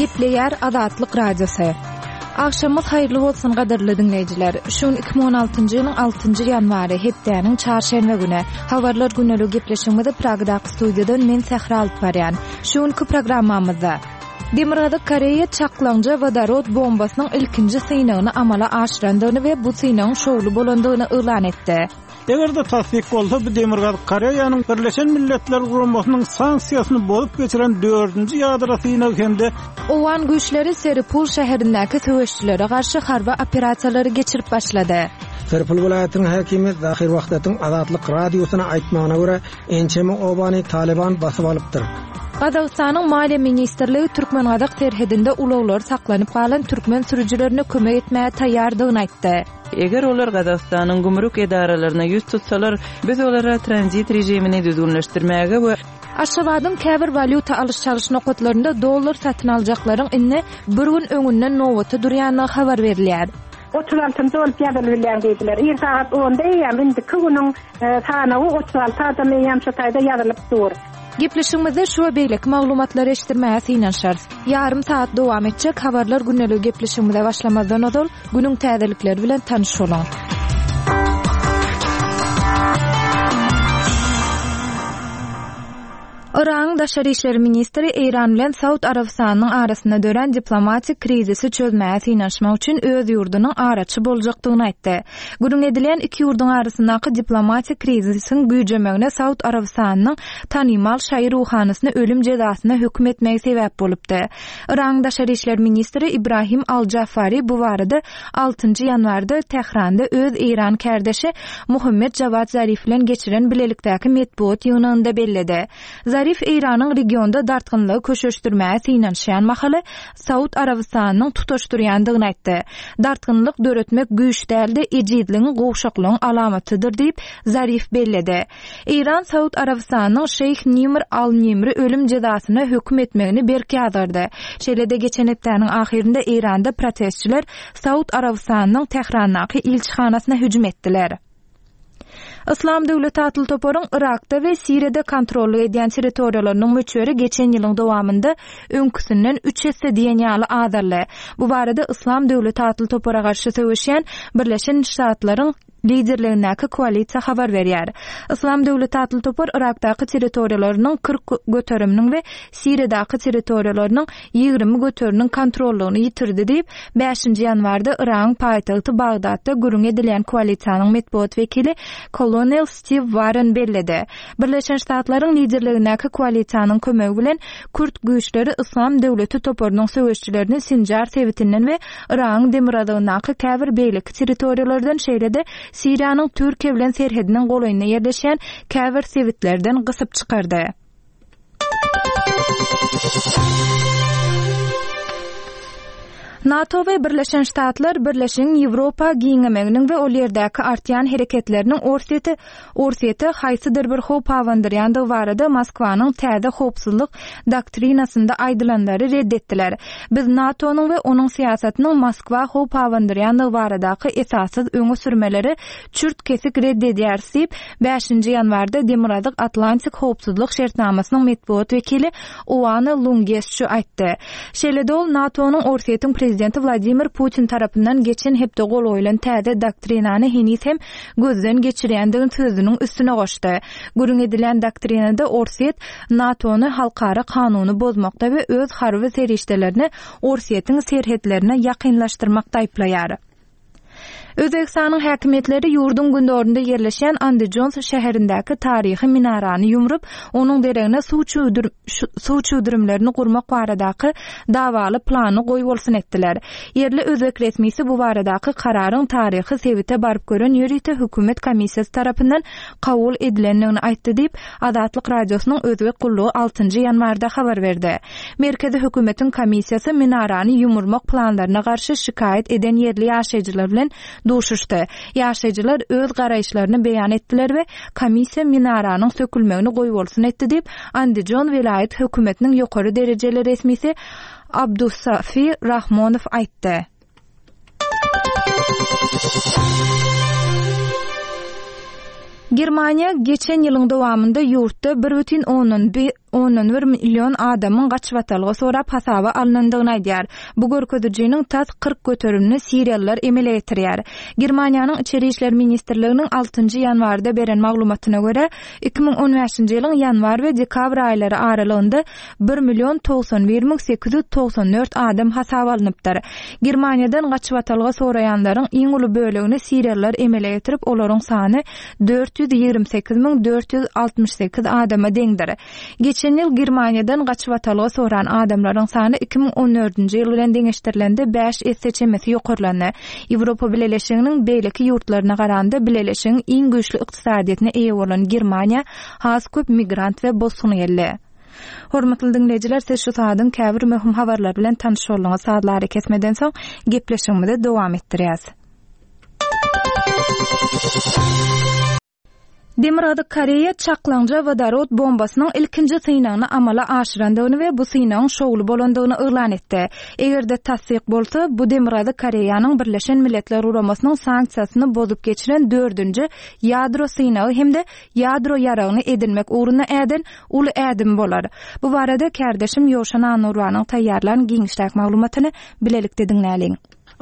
Gepleýär Azatlyk Radiosy. Agşamyňyz haýyrly bolsun gadyrly diňleýjiler. Şu gün 2016-njy ýylyň 6-njy ýanwary, hepdäniň çarşenbe güni. Habarlar güneligi gepleşigimizi Pragadaky studiýadan men Sähra alyp barýan. Şu günki programmamyzda Demirgazyk Koreýa çaklaňja wodorod bombasynyň ilkinji synagyny amala aşyrandygyny we bu synagyň şowly bolandygyny yglan etdi. Eger-de tassyk bolsa, bu Demirgazyk Koreýanyň Birleşen Milletler Guramasynyň sanksiýasyny bozup geçiren dördünji ýadro synagy hem-de Owgan güýçleri Seripul şäherindäki söweşijilere garşy harby operasiýalary geçirip başlady. Seripul welaýatynyň häkimi Zahir Wahdatyň Azatlyk Radiosyna aýtmagyna görä, ençeme obany Talyban basyp alypdyr. Gazagystanyň Maliýe ministrligi türkmen-gazak serhedinde ulaglary saklanyp galan türkmen sürüjilerine kömek etmäge taýýardygyny aýtdy. Eger olar Gazagystanyň gümrük edaralaryna ýüz tutsalar, biz olara tranzit režimini düzgünleşdirmäge we. Aşgabadyň käbir walýuta alyş-çalyş nokatlarynda dollar satyn aljaklaryň indi bir gün öňünden nobata durýandygy habar berilýär. 36-njy bolup ýazylybilýäň diýdiler. Ir sagat onda eýýäm indiki günüň sanawy 36 adam eýýäm şo taýda ýazylyp dur. Gepleşigimizde şu we beýleki maglumatlary eşitdirmäge synanyşarys. Ýarym sagat dowam etjek Habarlar gündeligi gepleşigimize başlamazdan ozal, günüň täzelikleri bilen tanyş boluň. Yragyň daşary işler ministri Eýran bilen Saud Arabystanynyň arasynda dörän diplomatik krizisi çözmäge synanyşmak üçin öz ýurdunyň araçy boljakdygyny aýtdy. Gürrüň edilýän iki ýurduň arasyndaky diplomatik krizisiň güýjemegine Saud Arabystanynyň tanymal şaýy ruhanysyny ölüm jezasyna höküm etmegi sebäp bolupdy. Yragyň daşary işler ministri Ibrahim al-Jafari bu barada altynjy ýanwarda Tähranda öz eýran kärdeşi Muhammet Jawad Zarif bilen geçiren bilelikdäki metbugat ýygnagynda belledi. Zarif Eýranyň regionda dartgynlygy köşeşdirmäge synanyşýan mahaly Saud Arabystanynyň tutaşdyrýandygyny aýtdy. Dartgynlyk döretmek güýç däl-de, ejizligiň, gowşaklygyň alamatydyr diýip, Zarif belledi. Eýran Saud Arabystanynyň şeýh Nimr al-Nimri ölüm jezasyna höküm etmegini berk ýazgardy. Şeýle-de geçen hepdäniň ahyrynda Eýranda protestçiler Saud Arabystanynyň Tährandaky ilçihanasyna hüjüm etdiler. Yslam döwleti atly toparyň Yrakda we Siriýada kontrollyk edýän territoriýalarynyň möçberi geçen ýylyň dowamynda öňküsinden üç esse diýen ýaly azaldy. Bu barada Yslam döwleti atly topara garşy söweşýän Birleşen Ştatlaryň liderligindäki koalisiýa habar berýär. Yslam döwleti atly topar Yrakdaky territoriýalarynyň 40 göteriminiň we Siriýadaky territoriýalarynyň 20 göteriniň kontrollygyny ýitirdi diýip, bäşinji ýanwarda Yragyň paýtagty Bagdatda gürrüň edilýän koalisiýanyň metbugat wekili kolonel Stiw Warren belledi. Birleşen Ştatlaryň liderligindäki koalisiýanyň kömegi bilen kürt güýçleri Yslam döwleti toparynyň söweşçilerini Sinjar sebitinden we Yragyň demirgazygyndaky käbir beýleki territoriýalardan şeýle-de Siriýanyň Türkiýe bilen serhediniň golaýynda ýerleşýän käbir sebitlerden gysyp çykardy. NATO we Birleşen Ştatlar Birleşigiň Ýewropa giňemeginiň we ol ýerdäki artýan hereketleriniň Orsýete Orsýete haýsydyr bir howp abandyrýandygy barada Moskwanyň täze howpsuzlyk doktrinasynda aýdylanlary ret etdiler. Biz NATO-nyň we onuň syýasatynyň Moskwa howp abandyrýandygy baradaky esassyz öňe sürmeleri çürt-kesik ret edýäris diýip, bäşinji ýanwarda Demirgazyk Atlantik howpsuzlyk şertnamasynyň metbugat wekili Oana Lungesçu aýtdy. Şeýle-de ol NATO-nyň Orsýetiň prezidenti Wladimir Putin tarapyndan geçen hepde gol goýlan täze doktrinany heniz hem gözden geçirýändigini sözüniň üstüne goşdy. Gürrüň edilýän doktrinada Orsýet NATO-ny halkara kanuny bozmakda we öz harby serişdelerini Orsýetiň serhetlerine ýakynlaşdyrmakda aýyplaýar. Özbegistanyň häkimiýetleri ýurduň gündogarynda ýerleşýän Andijons şäherindäki taryhy minarany ýumrup, onuň deregine suw suw çüwdürimlerini gurmak baradaky dawaly plany goýbolsun etdiler. Ýerli özbek resmisi bu baradaky kararyň taryhy sebite baryp gören ýörite hökümet komissiýasy tarapyndan kabul edilendigini aýtdy diýip, Azatlyk Radiosynyň Özbek gullugy altynjy ýanwarda habar berdi. Merkezi hökümetiň komissiýasy minarany ýumurmak planlaryna garşy şikaýat eden ýerli ýaşaýjylar bilen duşuşdy. Ýaşaýjylar öz garaýyşlaryny beýan etdiler we komissiýa minaranyň sökülmegini goýbolsun etdi diýip, Andijon welaýat hökümetiniň ýokary derejeli resmisi Abdusafi Rahmonow aýtdy. Germaniýa geçen ýylyň dowamynda ýurtda bir bütin ondan. Ondan bir million adamyň gaçybatalga sorap hasaba alnandygyny aýdýar. Bu görkezijiniň tas 40 göterimini siriýalylar emele getirýär. Germaniýanyň Içeri işler ministrliginiň altynjy ýanwarda beren maglumatyna görä, 2015-nji ýylyň ýanwar we dekabr aýlary aralygynda bir million 91 müň 894 adam hasaba alnypdyr. Germaniýadan gaçybatalga soraýanlaryň iň uly bölegini siriýalylar emele getirip, olaryň sany 428 müň 468 adama deňdir. Geçen ýyl Germaniýadan gaçybatalga soran adamlaryň sany 2014-nji ýyl bilen deňeşdirilende bäş esse çemesi ýokarlandy. Ýewropa Bileleşiginiň beýleki ýurtlaryna garanda bileleşigiň iň güýçli ykdysadyýetine eýe bolan Germaniýa has köp migrant we bosgun geldi. Hormatly diňleýjiler, siz şu saadyň käbir möhüm habarlary bilen tanyş bolduňyz. Sazly arakesmeden soň gepleşigimizi dowam etdirýäs. Demirgazyk Koreýa çaklaňja wodorod bombasynyň ilkinji synagyny amala aşyrandygyny we bu synagyň şowly bolandygyny yglan etdi. Eger-de tassyk bolsa, bu Demirgazyk Koreýanyň Birleşen Milletler Guramasynyň sanksiýasyny bozup geçiren dördünji ýadro synagy hem-de ýadro ýaragyny edinmek ugrunda äden uly ädimi bolar. Bu barada kärdeşim Ýowşan Annurbanyň taýýarlan giňişräk maglumatyny bilelikde diňläliň.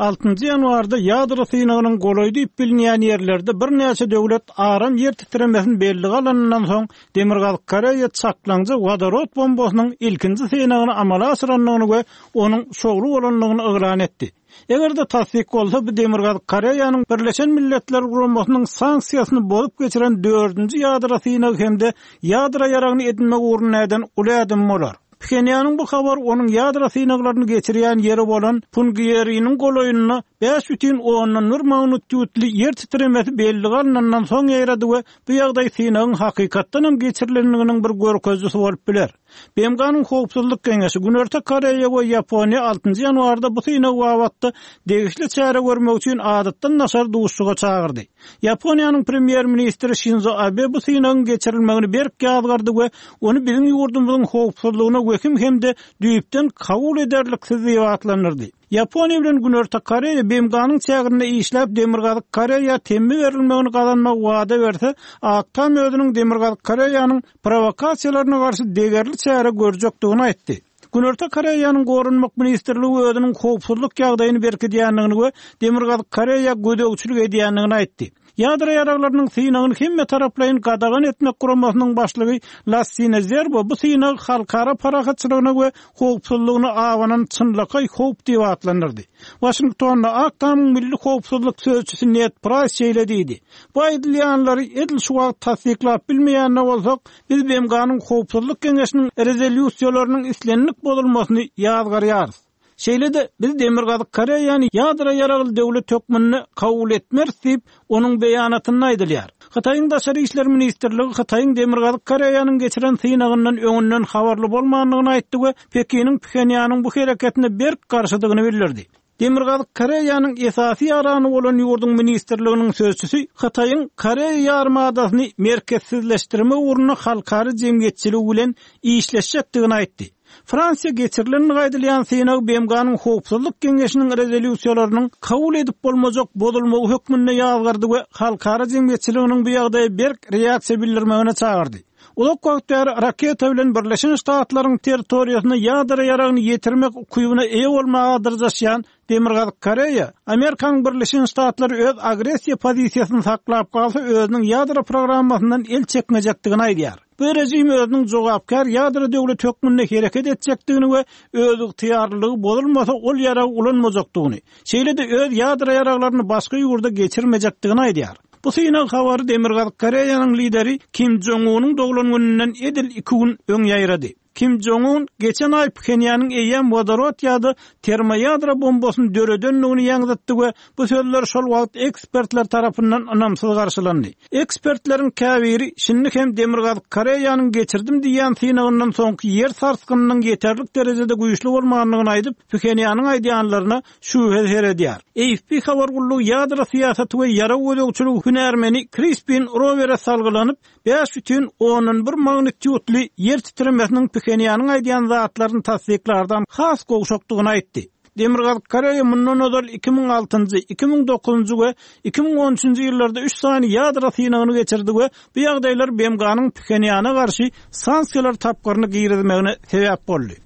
Altynjy ýanwarda ýadro synagynyň golaý diýip bilinýän ýerlerde birnäçe döwlet aram ýer titremesini bellige alanyndan soň, Demirgazyk Koreýa çaklaňja wodorod bombasynyň ilkinji synagyny amala aşyrandygyny we onuň şowly bolandygyny yglan etdi. Eger-de tassyk bolsa, bu Demirgazyk Koreýanyň Birleşen Milletler Guramasynyň sanksiýasyny bozup geçiren dördünji ýadro synagy hem-de ýadro ýaragyny edinmek ugrunda äden uly ädimi bolar. Phenýanyň bu habary onuň ýadro synaglaryny geçirýän ýeri bolan Pungiýeriniň golaýynda 5,1 magnitudly ýer titremesi bellige alnandan soň ýaýrady we bu ýagdaý synagyň hakykatdan hem geçirilendiginiň bir görkezijisi bolup biler. BMG-niň Howpsuzlyk Geňeşi Günorta Koreýa we Ýaponiýa altynjy ýanwarda bu synag babatda degişli çäre görmek üçin adatdan daşary duşuşyga çagyrdy. Ýaponiýanyň premýer-ministri Şinzo Abe bu synagyň geçirilmegini berk ýazgardy we ony biziň ýurdumyzyň howpsuzlygyna wehim hem-de düýpden kabul ederliksiz diýip atlandyrdy. Ýaponiýa bilen Günorta Koreýa BMG-niň çäginde işläp Demirgazyk Koreýa temmi berilmegini gazanmagy wada berse, Ak Tam özüniň Demirgazyk Koreýanyň prowokasiýalaryna garşy degerli çäre görjekdigini aýtdy. Günorta Koreýanyň Goranmak ministrligi özüniň howpsuzlyk ýagdaýyny berkidýändigini we Demirgazyk Koreýa gözegçilik edýändigini aýtdy. Ýadro ýaraglarynyň synagyny hemmetaraplaýyn gadagan etmek guramasynyň başlygy Lassine Zerbo bu synagy halkara parahatçylygyna we howpsuzlygyna abanan çynlakaý howp diýip atlandyrdy. Waşingtonda Ak Tamyň milli howpsuzlyk sözçüsi Ned Praýs şeýle diýdi, Bu aýdylýanlary edil şu wagt tassyklap bilmeýän-de bolsak, Biz BMG-niň Howpsuzlyk Geňeşiniň rezolýusiýalarynyň islendik bozulmasyny ýazgarýarys. Şeýle-de, biz Demirgazyk Koreýany ýadro ýaragly döwlet hökmünde kabul etmeris diýip, onuň beýanatynda aýdylýar. Hytaýyň Daşary işler ministrligi Hytaýyň Demirgazyk Koreýanyň geçiren synagyndan öňünden habarly bolmandygyny aýtdy we Pekiniň Phenýanyň bu hereketine berk garşydygyny bildirdi. Demirgazyk Koreýanyň esasy ýarany bolan ýurduň ministrliginiň sözçüsi Hytaýyň Koreýa ýarymadasyny merkezsizleşdirmek ugrunda halkara jemgyýetçiligi bilen işleşjekdigini aýtdy. Fransiýa geçirilendigi aýdylýan synag BMG-niň Howpsuzlyk Geňeşiniň rezolýusiýalarynyň kabul edip bolmajak bozulmagy hökmünde ýazgardy we halkara jemgyýetçiliginiň bu ýagdaýa berk reaksiýa bildirmegine çagyrdy. Uzak wagt bäri raketa bilen Birleşen Ştatlaryň territoriýasyna ýadro ýaragyny ýetirmek ukybyna eýe bolmaga dyrjaşýan Demirgazyk Koreýa, Amerikanyň Birleşen Ştatlary öz agressiýa pozisiýasyny saklap galsa özüniň ýadro programmasyndan el çekmejekdigini aýdýar. Bu režim özüniň jogapkär ýadro döwleti hökmünde hereket etjekdigini we özygtyýarlylygy bozulmasa ol ýaragy ulanmajakdygyny, şeýle-de öz ýadro ýaraglaryny başga ýurda geçirmejekdigini aýdýar. Bu synag habary Demirgazyk Koreýanyň lideri Kim Jong Unyň doglan gününden edil iki gün öň ýaýrady. Kim Jong Un geçen aý Phenýanyň eýýäm wodorod ýa-da termoýadro bombasyny döredendigini ýaňzytdy we bu sözler şol wagt ekspertler tarapyndan ynamsyz garşylandy. Ekspertleriň käbiri şindi hem Demirgazyk Koreýanyň geçirdim diýýän synagyndan soňky ýer sarsgynynyň ýeterlik derejede güýçli bolmandygyny aýdyp, Phenýanyň aýdýanlaryna şübhe seredýär. AFP habar gullugy ýadro syýasaty we ýarag gözegçiligi hünärmeni Krispin Rowere salgylanyp, 5,1 magnitýudly ýer titremesiniň Phenýanyň aýdýan zatlaryny tassyklardan has gowşakdygyny aýtdy. Demirgazyk Koreýa mundan ozal 2006-njy, 2009-njy we 2013-nji ýyllarda üç sany ýadro synagyny geçirdi we bu ýagdaýlar BMG-niň Phenýana garşy sanksiýalar tapgyryny girizmegine sebäp boldy.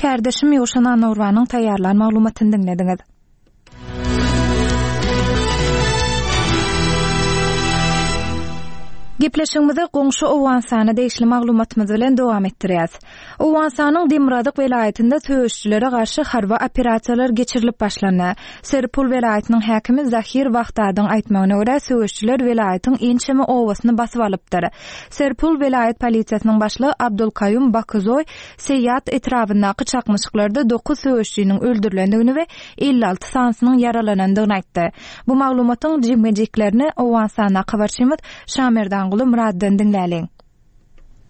Kärdeşim Ýowşan Annagurbanyň taýýarlan maglumatyny diňlediňiz. Gepleşigimizi goňşy Owganystana degişli maglumatymyz bilen dowam etdirýäs. Owganystanyň demirgazyk welaýatynda söweşijilere garşy harby operasiýalar geçirilip başlandy. Serpul welaýatynyň häkimi Zahir Wahdadyň aýtmagyna görä, söweşijiler welaýatyň ençeme obasyny basyp alypdyr. Serpul welaýat polisiýasynyň başlygy Abdulkaýum Bakyzoý Seýýat etrabyndaky çaknyşyklarda dokuz söweşijiniň öldürilendigini we 56 sanysynyň ýaralanandygyny aýtdy. Bu maglumatyň jikme-jiklerini Owganystandaky habarçymyz Şamerdanguly Myratdan diňläliň.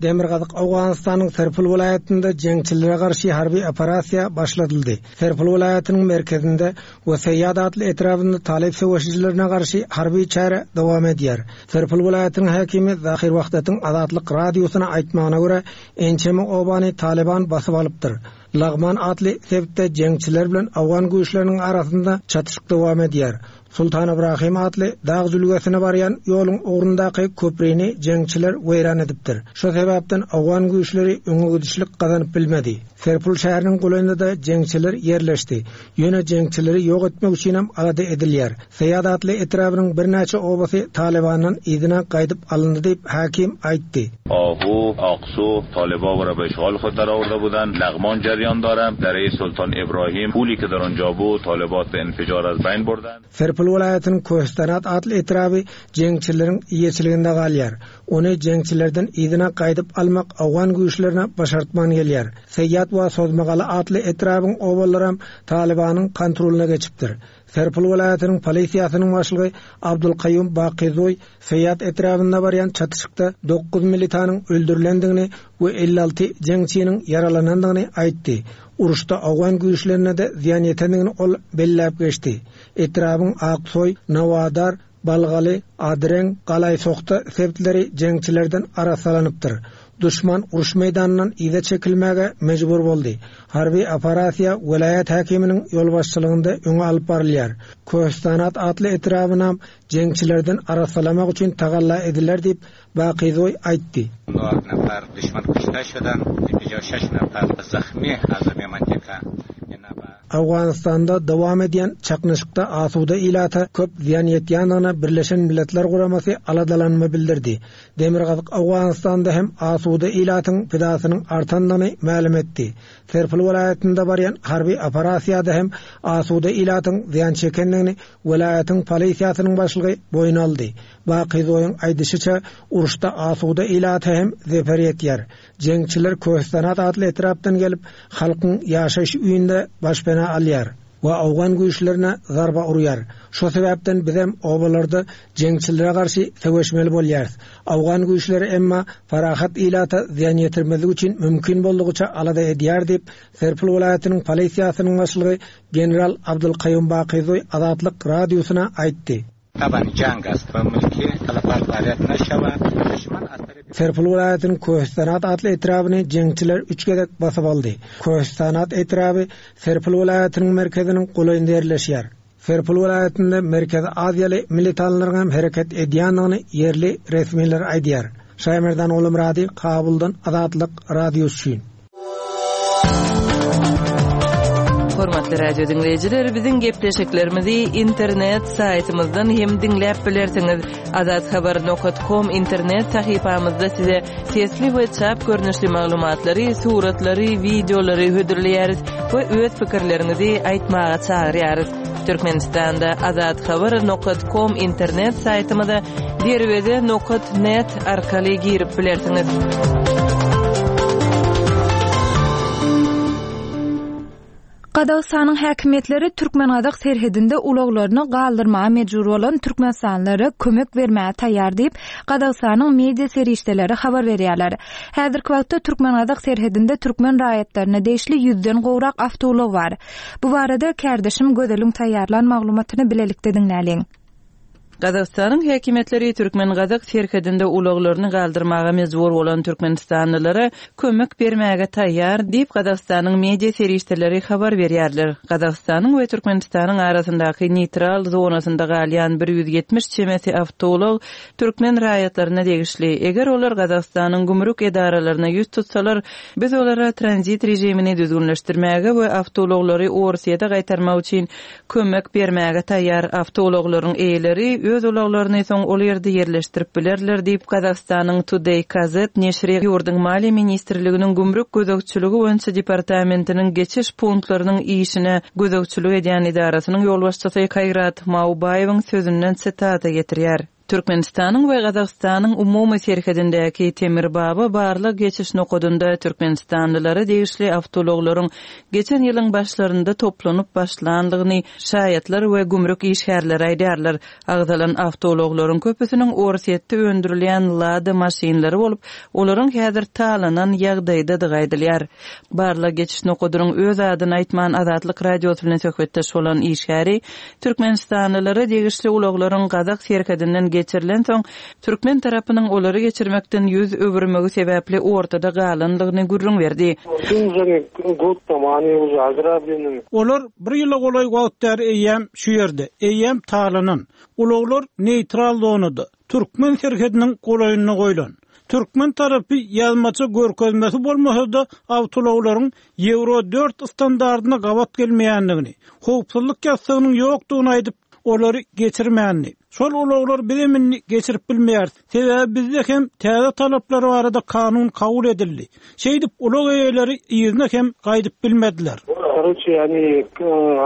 Demirgazyk Owganystanyň Serpul welaýatynda jeňçilere garşy harby operasiýa başladyldy. Serpul welaýatynyň merkezinde we Seýýad atly etrabynda talyp söweşijilerine garşy harby çäre dowam edýär. Serpul welaýatynyň häkimi Zahir Wahdatyň Azatlyk Radiosyna aýtmagyna görä, ençeme obany Talyban basyp alypdyr. Lagman atly sebitde jeňçiler bilen owgan güýçleriniň arasynda çatyşyk dowam edýär. Sultan Ybrahym atly dag jülgesine barýan ýoluň ugrundaky köprini jeňçiler weýran edipdir. Şo sebäpden owgan güýçleri öňe gidişlik gazanyp bilmedi. Serpul şäheriniň golaýynda-da jeňçiler ýerleşdi. Ýöne jeňçileri ýok etmek üçinem alada edilýär. Seýad atly etrabynyň birnäçe obasy Talybandan yzyna gaýdyp alyndy diýip, häkim aýtdy. Ahu, Aksu, Talyba we be işgal hud darawarda budan, Lagman jeriýan dara, Dere-i Sultan Ibrahim, puli ki dar onja bud, Talybat be infijar az beýn burdan. Serpil welaýatynyň Köhistanat atly etraby jeňçileriň eýeçiliginde galýar. Ony jeňçilerden yzyna gaýdyp almak owgan güýçlerine başartman gelýär. Seýýat we Sozmagala atly etrabyň obalaram Talybanyň kontrolyna geçipdir. Serpil welaýatynyň polisiýasynyň başlygy Abdulkaýum Bakyzoý Seýýat etrabynda barýan çatyşykda dokuz militanyň öldürilendigini we 56 jeňçiniň ýaralanandygyny aýtdy. Uruşda owgan güýçlerine-de zyýan ýetendigini ol belläp geçdi. Etrabyň Aksoý, Nawadar, Balgaly, Adreň, Galaýsohta sebitleri jeňçilerden arassalanypdyr. Duşman uruş meýdanyndan yza çekilmäge mejbur boldy. Harby operasiýa welaýat häkiminiň ýolbaşçylygynda öňe alyp barylýar. Köhistanat atly etrabynam jeňçilerden arassalamak üçin tagalla ediler diýip, Bakyzoý aýtdy. Owganystanda dowam edýän çaknyşykda asuda ilata köp zyýan ýetýändigine Birleşen Milletler Guramasy aladalanma bildirdi. Demirgazyk Owganystanda hem asuda ilatyň pidasynyň artandygyny mälim etdi. Serpil welaýatynda barýan harby operasiýada hem asuda ilatyň zyýan çekendigini welaýatyň polisiýasynyň başlygy boýun aldy. Bakyzoýyň aýdyşyça, uruşda asuda ilata hem zeper ýetýär. Jeňçiler Köhistanat atly etrapdan gelip, halkyň ýaşaýyş öýünde başpena alýar we owgan güýçlerine zarba urýar. Şo sebäpden bizem obalarda jeňçilere garşy söweşmeli bolýarys. Owgan güýçleri emma parahat ilata zyýan ýetirmezlik üçin mümkin boldugyça alada edýär diýip, Serpil welaýatynyň polisiýasynyň başlygy general Abdulkaýum Bakyzoý Azatlyk Radiosyna aýtdy. Serpil welaýatynyň Köhistanat atly etrabyny jeňçiler üç gezek basyp aldy. Köhistanat etraby Serpil welaýatynyň merkeziniň golaýynda ýerleşýär. Serpil welaýatynda Merkezi Aziýaly militanlaryň hem hereket edýändigini ýerli resmiler aýdýar. Şaýmerdan Gulumyrady, Kabuldan Azatlyk Radiosy üçin. Hormatly radio diňleýjiler, biziň gepleşiklerimizi internet saýtymyzdan hem diňläp bilersiňiz. Azathabar.com internet sahypamyzda size sesli we çap görnüşli maglumatlary, suratlary, wideolary hödürleýäris we öz pikirleriňizi aýtmaga çagyrýarys. Türkmenistanda azathabar.com internet saýtymyza derweze nokat net arkaly girip bilersiňiz. Gazagystanyň häkimiýetleri türkmen-gazak serhedinde ulaglaryny galdyrmaga mejbur bolan türkmenistanlylara kömek bermäge taýýar diýip, Gazagystanyň media serişdeleri habar berýärler. Häzirki wagtda türkmen-gazak serhedinde türkmen raýatlaryna degişli ýüzden gowrak awtoulag bar. Bu barada kärdeşim Gözeliň taýýarlan maglumatyny bilelikde diňläliň. Gazagystanyň häkimiýetleri türkmen-gazak serhedinde ulaglaryny galdyrmaga mejbur bolan türkmenistanlylara kömek bermäge taýýar diýip, Gazagystanyň media serişdeleri habar berýärler. Gazagystanyň we Türkmenistanyň arasyndaky neýtral zonasynda galýan 170 çemesi awtoulag türkmen raýatlaryna degişli. Eger olar Gazagystanyň gümrük edaralaryna ýüz tutsalar, biz olara tranzit režimini düzgünleşdirmäge we awtoulaglary Orsýete gaýtarmak üçin kömek bermäge taýýar. Awtoulaglaryň eýeleri öz ulaglaryny soň ol ýerde ýerleşdirip bilerler diýip, Gazagystanyň Today KZ neşiri ýurduň Maliýe ministrliginiň gümrük gözegçiligi boýunça departamentiniň geçiş punktlarynyň işine gözegçilik edýän edarasynyň ýolbaşçysy Kaýrat Maubaýewiň sözünden sitata getirýär. Türkmenistanyň we Gazagystanyň umumy serhedindäki Temirbaba barlag-geçiş nokadynda türkmenistanlylara degişli awtoulaglaryň geçen ýylyň başlarynda toplanyp başlandygyny şaýatlar we gümrük işgärleri aýdýarlar. Agzalan awtoulaglaryň köpüsiniň Orsýetde öndürilýän Lada maşynlary bolup, olaryň häzir talanan ýagdaýdadygy aýdylýar. Barlag-geçiş nokadynyň öz adyny aýtman Azatlyk Radiosy bilen söhbetdeş bolan işgäri Türkmenistanlylara degişli ulaglaryň gazak serhedinden geçirilensoň, türkmen tarapynyň olary geçirmekden ýüz öwürmegi sebäpli ortada galandygyny gürrüň berdi. Olar bir ýyla golaý wagt bäri eýýäm şu ýerde, eýýäm talanan. Ulaglar neýtral zonada, türkmen serhediniň golaýynda goýlan. Türkmen tarapy ýazmaça görkezmesi bolmasa-da, awtoulaglaryň Ýewro dört standardyna gabat gelmeýändigini, howpsuzlyk ýassygynyň ýokdugyny aýdyp, olary geçirmändi. Şol ulaglary bizem indi geçirip bilmeýäris. Sebäbi bizde hem täze talaplar barada kanun kabul edildi. Şeýdip, ulag eýeleri yzyna hem gaýdyp bilmediler. Karoçe, oni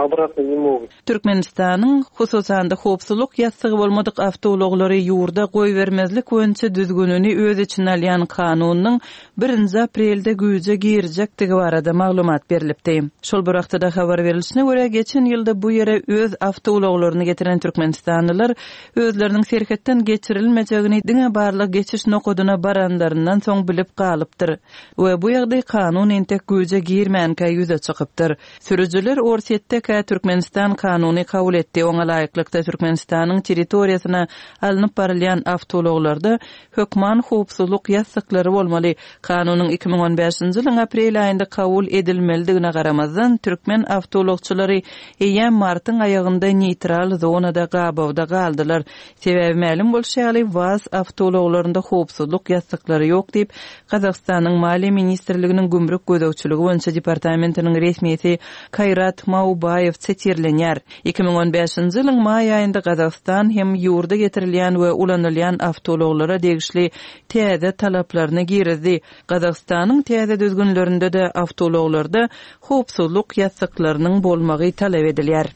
obratno ne mogut. Türkmenistanyň, hususan-da, howpsuzlyk ýassygy bolmadyk awtoulaglary ýurda goýbermezlik boýunça düzgünini öz içine alýan kanunynyň birinji aprelde güýje girjekdigi barada maglumat berlipdi. Şol bir wagtda-da habar berlişine görä, geçen ýylda bu ýere öz awtoulaglaryny getiren türkmenistanlylar özleriniň serhetden geçirilmejegini diňe barlag-geçiş nokadyna baranlaryndan soň bilip galypdyr we bu ýagdaý kanun entek güýje girmänkä ýüze çykypdyr. Sürüjiler Orsýetdekä Türkmenistan kanuny kabul etdi, oňa laýyklykda Türkmenistanyň territoriýasyna alnyp barylýan awtoulaglarda hökman howpsuzlyk ýassyklary bolmaly. Kanunyň 2015-nji ýylyň aprel aýynda kabul edilmelidigine garamazdan, türkmen awtoulagçylary eýýäm martyň aýagynda neýtral zonada gabawda galdylar. Sebäbi mälim bolşy ýaly, WAZ awtoulaglarynda howpsuzlyk ýassyklary ýok diýip, Gazagystanyň Maliýe ministrliginiň gümrük gözegçiligi boýunça departamentiniň resmisi Kaýrat Maubaýew sitirlenýär. 2015-nji ýylyň maý aýynda Gazagystan hem ýurda getirilýän we ulanylýan awtoulaglara degişli täze talaplaryny girizdi. Gazagystanyň täze düzgünlerinde-de awtoulaglarda howpsuzlyk ýassyklarynyň bolmagy talap edilýär.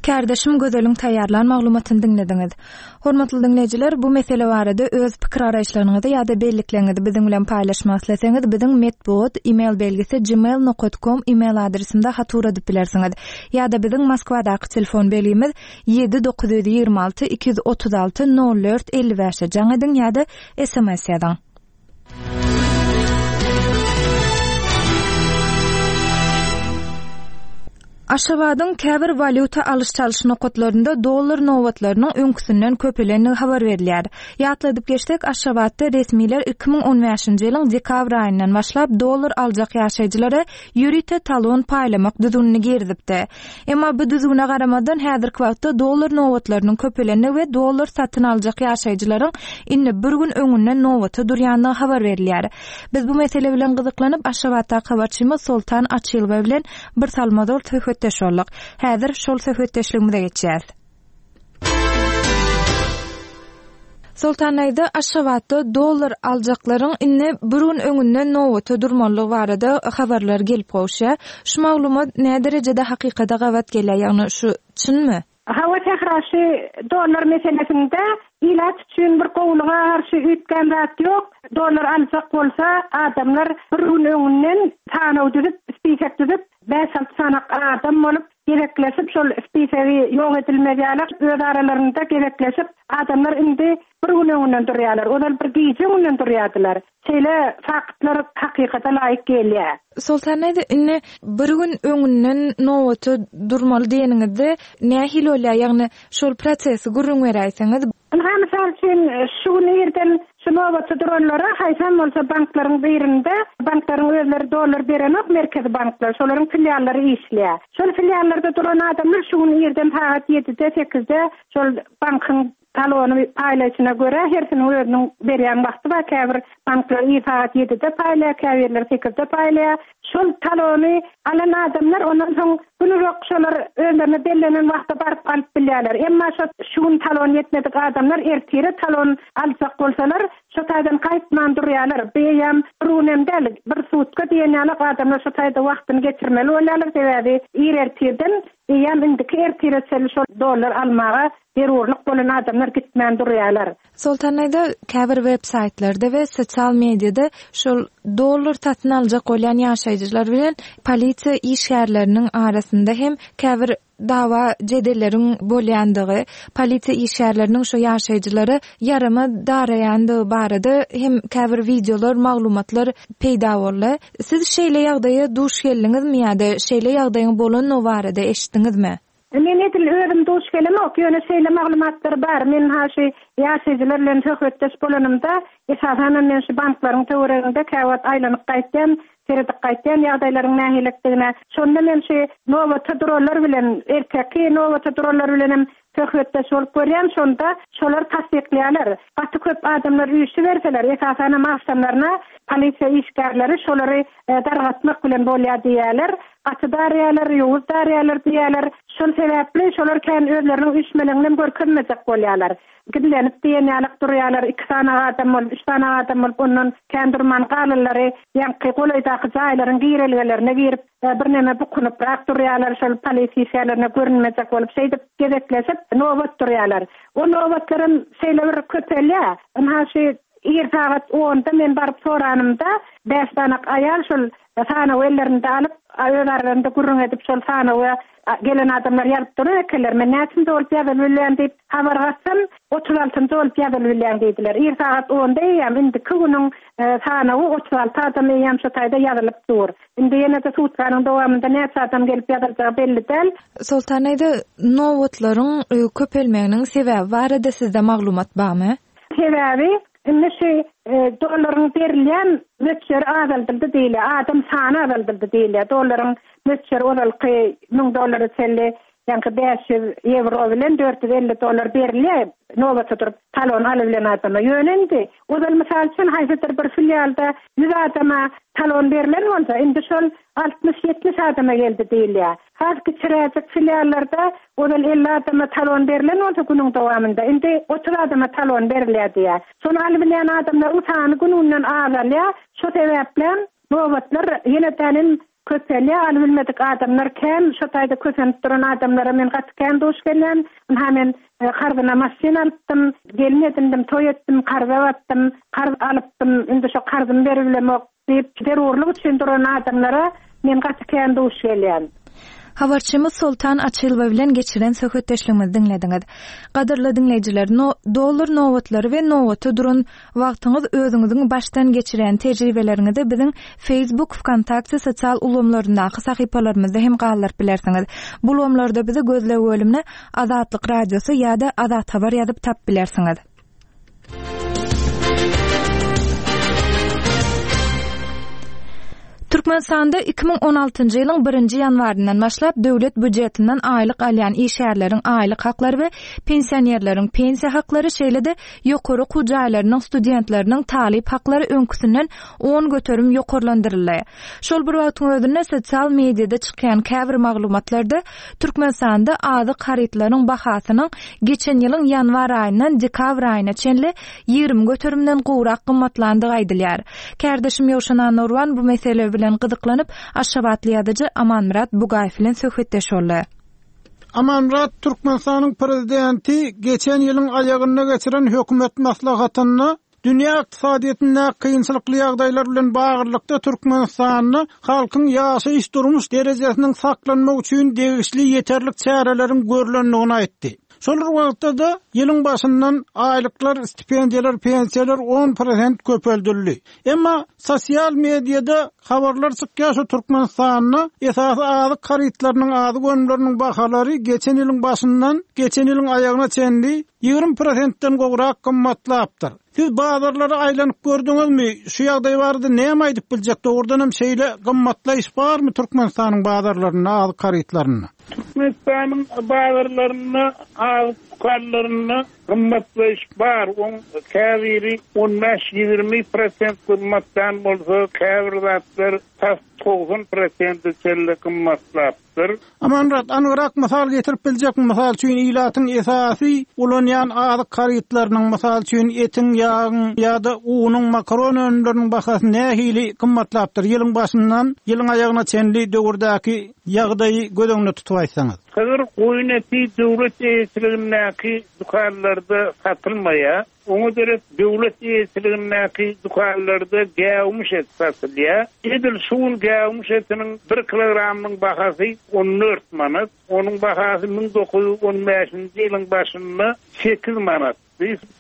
Kärdeşim Gözeliň taýýarlan maglumatyny diňlediňiz. Hormatly diňleýjiler, bu mesele barada öz pikir-garaýyşlaryňyzy ýa-da bellikleriňizi biziň bilen paýlaşmak isleseňiz, biziň metbugat email belgisi gmail nokat kom email adresimize hat ugradyp bilersiňiz. Ýa-da biziň Moskwadaky telefon belgimiz ýedi 926 236 04 55-e jaň ediň ýa-da sms ýazyň. Aşgabadyň käbir walýuta alyş-çalyş nokatlarynda dollar nobatlarynyň öňküsinden köpelendigi habar berilýär. Ýatladyp geçsek, Aşgabatda resmiler 2015-nji ýylyň dekabr aýyndan başlap dollar aljak ýaşaýjylara ýörite talon paýlamak düzgünini girizipdi. Emma bu düzgüne garamazdan, häzirki wagtda dollar nobatlarynyň köpelendigi we dollar satyn aljak ýaşaýjylaryň indi bir gün öňünden nobata durýandygy habar berilýär. Biz bu mesele bilen gyzyklanyp, Aşgabatdaky habarçymyz Soltan Açylowa bilen bir salym ozal söhbetdeş bolduk. Häzir şol söhbetdeşligimize geçýäs. Soltan daýza, Aşgabatda dollar aljaklaryň indi bir gün öňünden nobata durmalydygy barada habarlar gelip gowuşýar. Şu maglumat näderejede hakykata gabat gelýär, ýagny şu çynmy? Hawa Sähra şu dollar meselesinde ilat üçin bir gowulyga garşy üýtgän zat ýok. Dollar aljak bolsa adamlar bir gün öňünden sanaw düzüp, spisek düzüp, bäş-alty sanak adam bolup gezekleşip şol spisegi ýok edilmez ýaly öz aralarynda gezekleşip adamlar indi bir gün öňünden durýarlar. Ozal bir gije öňünden durýardylar. Şeýle faktlar hakykata laýyk gelýär. Soltan daýza indi bir gün öňünden nobata durmaly diýeniňizde nähili bolýar? Ýagny şol prosesi gürrüň beräýseňiz. Ynha, mysal üçin, şu gün irden şu nobata duranlara haýsam bolsa banklaryň birinde, banklaryň özleri dollar berenok, merkezi banklar, şolaryň filiallary işleýär. Şol filiallarda duran adamlar şu gün irden sagat ýedide, sekizde şol bankyň talony paýlaýşyna görä, hersiniň özüniň berýän wagty bar, käbir banklar ir sagat ýedide paýlaýar, käbirleri sekizde paýlaýar. Şol talony alan adamlar ondan soň gün uzak şolar özlerine bellenen wagtda baryp alyp bilýärler. Emma şo şu gün talon ýetmedik adamlar ertire talon aljak bolsalar, şo taýdan gaýtman durýarlar. Bu eýýäm bir gün hem däl, bir sutka diýen ýalak adamlar şo taýda wagtyny geçirmeli bolýarlar, sebäbi ir ertirden eýýäm indiki ertire çenli şol dollar almaga zerurlyk bolan adamlar gitmän durýarlar. Soltan aýda käbir web saýtlarda we sosial mediada şol dollar satyn aljak bolýan ýaşaýjylar bilen polisiýa işgärleriniň arasynda hem käbir dawa jedelleriň bolýandygy, polisiýa işgärleriniň şo ýaşaýjylara ýarama daraýandygy barada hem käbir wideolar, maglumatlar peýda boldy. Siz şeýle ýagdaýa duş geldiňizmi ýa-da şeýle ýagdaýyň bolandygy barada eşitdiňizmi? Men edil özüm duş gelemok, ýöne şeýle maglumatlar bar. Men ha şu ýaşaýjylar bilen söhbetdeş bolanymda, esasanam men şu banklaryň töwereginde käwagt aýlanyp gaýtýan, seredip gaýtýan ýagdaýlaryň nähilidigine. Şonda men şu nobata duranlar bilen, erteki nobata duranlar bilenem söhbetdeş bolup görýän, şonda şolar tassyklaýarlar. Gaty köp adamlar üýşüberseler, esasanam agşamlaryna polisiýa işgärleri şolary dargatmak bilen bolýar diýýärler. Gaty darýarlar, ýowuz darýarlar diýýärler. Şol sebäpli şolar kän özleriniň üýşmeleňinem görkezmejek bolýarlar. Gizlenip diýen ýalak durýarlar. Iki sany adam bolup, üç sany adam bolup ondan kän durman galanlary ýaňky golaýdaky jaýlaryň girelgelerine girip, birneme bukunyprak durýarlar. Şol polisiýa işgärlerine görünmejek bolup şeýdip gezekleşip nobat durýarlar. O nobatlaram şeýle bir köpelýär. Ynha şu Ir sagat onda men baryp soranymda, bäş sanak aýal şol sanawy ellerinde alyp, öz aralarynda gürrüň edip, şol sanawa gelen adamlar ýazyp duran ekenler. Men näçinji bolup ýazylyp bilýän diýip habar gatsam, 36 njy bolup ýazylyp bilýäň diýdiler. Ir sagat onda eýýäm indiki günüň sanawy 36 adam eýýäm şo taýda ýazylyp dur. Indi ýene-de sutkanyň dowamynda näçe adam gelip ýazyljagy belli däl. Soltan daýza, nobatlaryň köpelmeginiň sebäbi barada sizde maglumat barmy? Sebäbi indi şu dollaryň berilýän möçberi azaldyldy diýilýär, adam sany azaldyldy diýilýär. Dollaryň möçberi ozalky 1000 dollara çenli, ýaňky 500 ýewro bilen 450 dollar berilýär nobata durup talon alybilen adama. Ýöne indi ozal mysal üçin haýsydyr bir filialda 100 adama talon berlen bolsa, indi şol 60-70 adama geldi diýilýär. Has kiçiräjik filiallarda ozal 50 adama talon berlen bolsa günüň dowamynda, indi 30 adama talon berilýär diýýär. Şony alybilýän adamlaryň sany gün-günden azalýar. Şo sebäplem nobatlar ýene-dänem köpelýär. Alybilmedik adamlar kän. Şo taýda kösenip duran adamlara men gaty kän duş gelýän. Ynha men karzyna maşyn alypdym, gelin edindim, toý etdim, karza batdym, karz alypdym, indi şo karzymy beribilemok. Diýip, zerurlyk üçin duran adamlara men gaty kän duş gelýän. Habarçymyz Soltan Açylowa bilen geçiren söhbetdeşligimizi diňlediňiz. Gadyrly diňleýjiler, no, dollar nobatlary we nobata duran wagtyňyz özüňiziň başdan geçirýän tejribeleriňizi biziň Facebook, Wkontakte sosial ulgamlaryndaky sahypalarymyzda hem galdyryp bilersiňiz. Bu ulgamlarda bizi gözleg bölümine Azatlyk Radiosy ýa-da Azat Habar ýazyp tapyp bilersiňiz. Türkmenistanda 2016-njy ýylyň birinji ýanwaryndan başlap döwlet býujetinden aýlyk alýan işgärleriň aýlyk haklary we pensionerleriň pensiýa haklary, şeýle-de ýokary okuw jaýlarynyň studentleriniň talyp haklary öňküsinden 10% ýokarlandyryldy. Şol bir wagtyň özünde sosial mediada çykýan käbir maglumatlarda Türkmenistanda azyk harytlaryň bahasynyň geçen ýylyň ýanwar aýyndan dekabr aýyna çenli 20 göterimden gowrak gymmatlandygy aýdylýar. Kärdeşim Ýowşan Annagurban bu mesele bilen gyzyklanyp, aşgabatly ýazyjy Amanmyrat Bugaýew bilen söhbetdeş boldy. Amanmyrat, Türkmenistanyň Prezidenti geçen ýylyň aýagynda geçiren hökümet maslahatynda Dünýä ykdysadyýetindäki kynçylykly ýagdaýlar bilen baglylykda Türkmenistanda halkyň ýaşaýyş-durmuş derejesiniň saklanmagy üçin degişli ýeterlik çäreleriň görlendigini aýtdy. Şol bir wagtda-da, ýylyň başyndan aýlyklar, stipendiýalar, pensiýalar on prosent köpeldildi. Emma sosial mediada habarlar çykýar, şu Türkmenistanda esasy azyk harytlarynyň, azyk önümleriniň bahalary geçen ýylyň başyndan geçen ýylyň aýagyna çenli 20 prosentden gowrak gymmatlapdyr. Siz bazarlara aýlanyp gördüňizmi? Şu ýagdaý barada näme aýdyp biljek? Dogrudan hem şeýle gymmatlaýyş barmy Türkmenistanyň bazarlarynda azyk harytlarynda? Türkmenistanyň bazarlarynda azyk dükanlarynda Gymmatlaýyş bar, oň käbiri on bäş-ýigrimi prosent gymmatlan bolsa, käbir zatlar tas 90 prosente çenli gymmatlapdyr. Amanmyrat, anygrak mysal getirip biljekmi? Mysal üçin, ilatyň esasy ulanýan azyk harytlarynyň, mysal üçin, etiň, ýagyň ýa-da unuň, makaron önümleriniň bahasy nähili gymmatlapdyr? Ýylyň başyndan ýylyň aýagyna çenli döwürdäki ýagdaýy göz öňünde tutup aýtsaňyz. Sygyr, goýun eti döwlet eýeçiligindäki dükanlarda satylmaýar. Oňa derek döwlet eýeçiligindäki dükanlarda gäwmiş et satylýar. Edil şu gün gäwmiş etiniň bir kilogramynyň bahasy 14 manat. Onuň bahasy 1915-nji ýylyň başynda sekiz manat.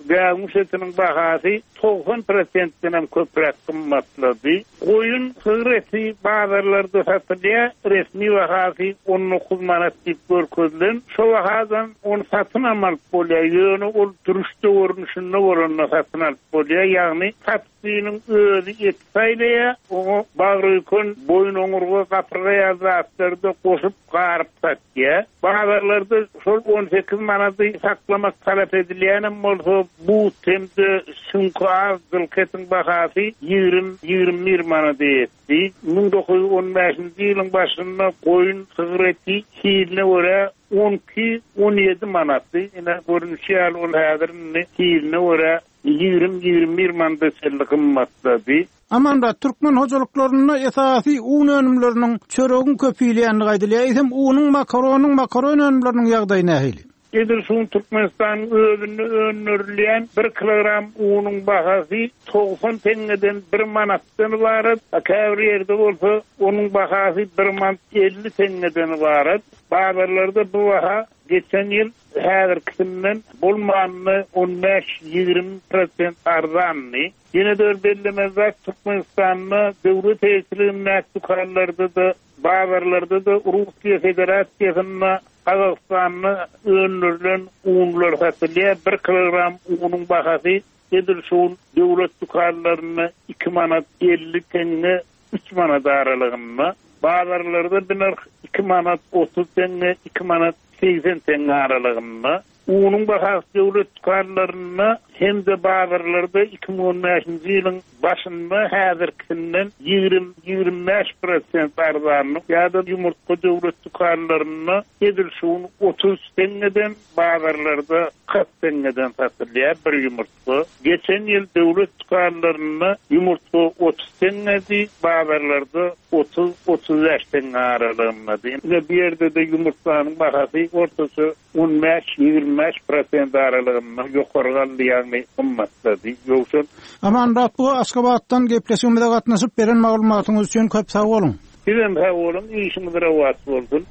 Gäwmiş etiniň bahasy 90 prosentdenem köpräk gymmatlady. Goýun, sygyr eti bazarlarda satylýar, resmi bahasy 19 manat diýip görkezilen. Şo bahadan ony satynam alyp bolýar, ýöne ol dürüşde görnüşinde bolanda satyn alyp bolýar, ýagny satyjynyň özi eti saýlaýar, oňa bagry-öýken, boýun-oňurga, gapyrga ýaly zatlary-da goşup, garyp satýar. Bazarlarda şol 18 manady saklamak talap edilýänem bolsa, but hem-de süňki az jylky etiň bahasy 20, 21 manada ýetdi. 1915-nji ýylyň başynda goýun, sygyr eti hiline görä 12, 17 manatdy. Ine, görnüşi ýaly, ol häzir indi hiline görä 20, 21 manada çenli gymmatlady. Amanmyrat, türkmen hojalyklarynda esasy un önümleriniň, çöregiň köp iýilýändigi aýdylýar. Eýsem, unuň, makaronyň, makaron önümleriniň ýagdaýy nähili? Edil şu gün Türkmenistanyň özünde öndürilýän bir kilogram unuň bahasy 90 teňňeden bir manatdan ybarat, a käbir ýerde bolsa onuň bahasy bir manat 50 teňňeden ybarat. Bazarlarda bu baha geçen ýyl häzirkisinden bolmanda on bäş-ýigrimi prosent arzandy. Ýene-de bir bellemeli zat, Türkmenistanda döwlet eýeçiligindäki dükanlarda-da, bazarlarda-da Russiýa Federasiýasynda, Gazagystanda öndürilen unlar satylýar. Bir kilogram unuň bahasy edil şu gün döwlet dükanlarynda iki manat 50 teňňe, üç manat aralygynda. Bazarlarda bu nyrh iki manat 30 teňňe, iki manat 80 teňňe aralygynda. Unuň bahasy döwlet dükanlarynda hem-de bazarlarda 2015-nji ýylyň başynda häzirkisinden 20, 25 prosent arzanlyk ýa-da ýumurtga döwlet dükanlarynda edil şu gün 33 teňňeden, bazarlarda 40 teňňeden satylýar bir ýumurtga. Geçen ýyl döwlet dükanlarynda ýumurtga 30 teňňedi, bazarlarda 30, 35 teňňe aralygyndady. Ine bu ýerde-de ýumurtganyň bahasy ortaça 15, 25 prosent aralygynda ýokary galdy, ýagny gymmatlady. Ýowşan. Amanmyrat bu Aşgabatdan gepleşigimize gatnaşyp beren maglumatyňyz üçin köp sag boluň. Sizem sag boluň, işiňiz rowaç bolsun.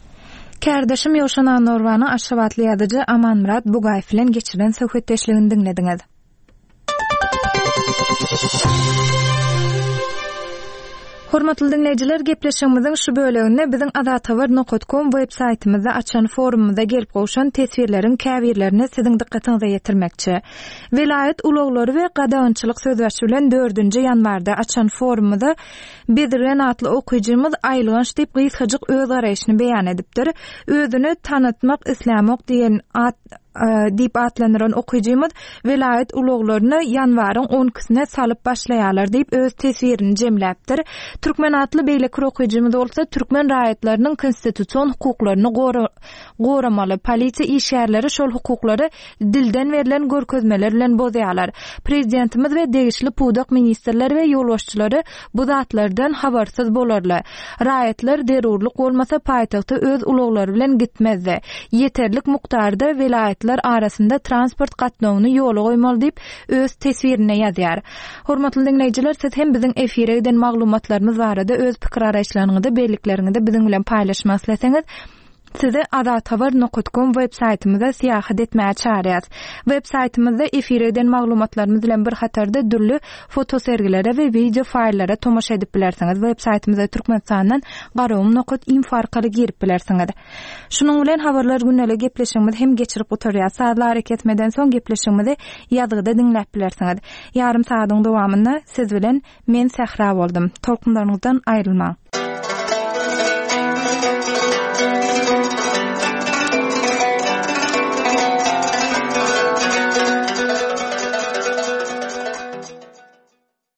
Kärdeşim Ýowşan Annagurbanyň aşgabatly ýazyjy Amanmyrat Bugaýew bilen geçiren söhbetdeşligini diňlediňiz. Hormatly diňleýjiler, gepleşigimiziň şu böleginde biziň azathabar nokat kom web saýtymyzda açan forumymyza gelip gowşan teswirleriň käbirlerini siziň dykgatyňyza ýetirmekçi. Welaýat ulaglary we gadagançylyk sözbaşy bilen dördünji ýanwarda açan forumymyza Bezirgen atly okyjymyz aýylganç diýip gysgajyk öz garaýşyny beýan edipdir. Özüni tanatmak islämok diýen at diýip atlandyran okyjymyz welaýat ulaglaryny ýanwaryň on ikisine salyp başlaýarlar diýip öz teswirini jemläpdir. Türkmen atly beýleki bir okyjymyz bolsa türkmen raýatlarynyň konstitusion hukuklaryny goramaly, polisiýa işgärleri şol hukuklary dilden berlen görkezmeler bilen bozýarlar. Prezidentimiz we degişli pudak ministrleri we ýolbaşçylary bu zatlardan habarsyz bolarly. Raýatlar zerurlyk bolmasa paýtagta öz ulaglary bilen gitmezdi. Ýeterlik mukdarda welaýatlar arasynda transport gatnawyny ýola goýmaly diýip, öz teswirinde ýazýar. Hormatly diňleýjiler, siz hem biziň efire giden maglumatlarymyz barada öz pikir-garaýyşlaryňyzy, bellikleriňizi biziň bilen paýlaşmak isleseňiz, Sizi azathabar nokat kom web saýtymyza syýahat etmäge çagyrýas. Web saýtymyzda efire eden maglumatlarymyz bilen bir hatarda dürli fotosergilere we wideo faýllara tomaşa edip bilersiňiz. Web saýtymyza Türkmenistandan garagum nokat info arkaly girip bilersiňiz. Şunuň bilen Habarlar gündeli gepleşigimizi hem geçirip gutarýas. Sazly arakesmeden soň gepleşigimizi ýazgyda diňläp bilersiňiz. Ýarym sagadyň dowamynda siz bilen men Sähra boldum. Tolkunlaryňyzdan aýrylmaň.